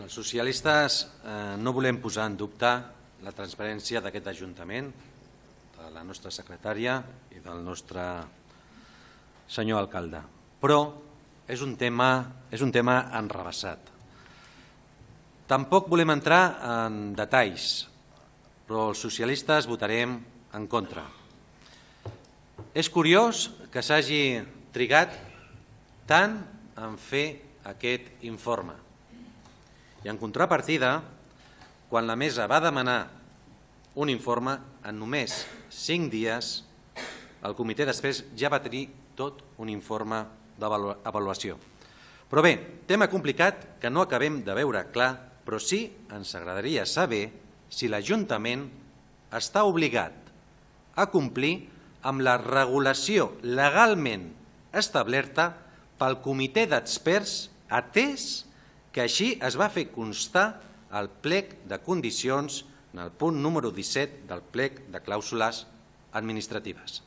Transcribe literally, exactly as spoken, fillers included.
Els socialistes eh, no volem posar en dubte la transparència d'aquest Ajuntament, de la nostra secretària i del nostre senyor alcalde, però és un tema, és un tema enrevessat. Tampoc volem entrar en detalls, però els socialistes votarem en contra. És curiós que s'hagi trigat tant en fer aquest informe. I en contrapartida, quan la mesa va demanar un informe, en només cinc dies, el comitè després ja va tenir tot un informe d'avaluació. Però bé, tema complicat que no acabem de veure clar, però sí ens agradaria saber si l'Ajuntament està obligat a complir amb la regulació legalment establerta pel comitè d'experts, atès que així es va fer constar al plec de condicions en el punt número disset del plec de clàusules administratives.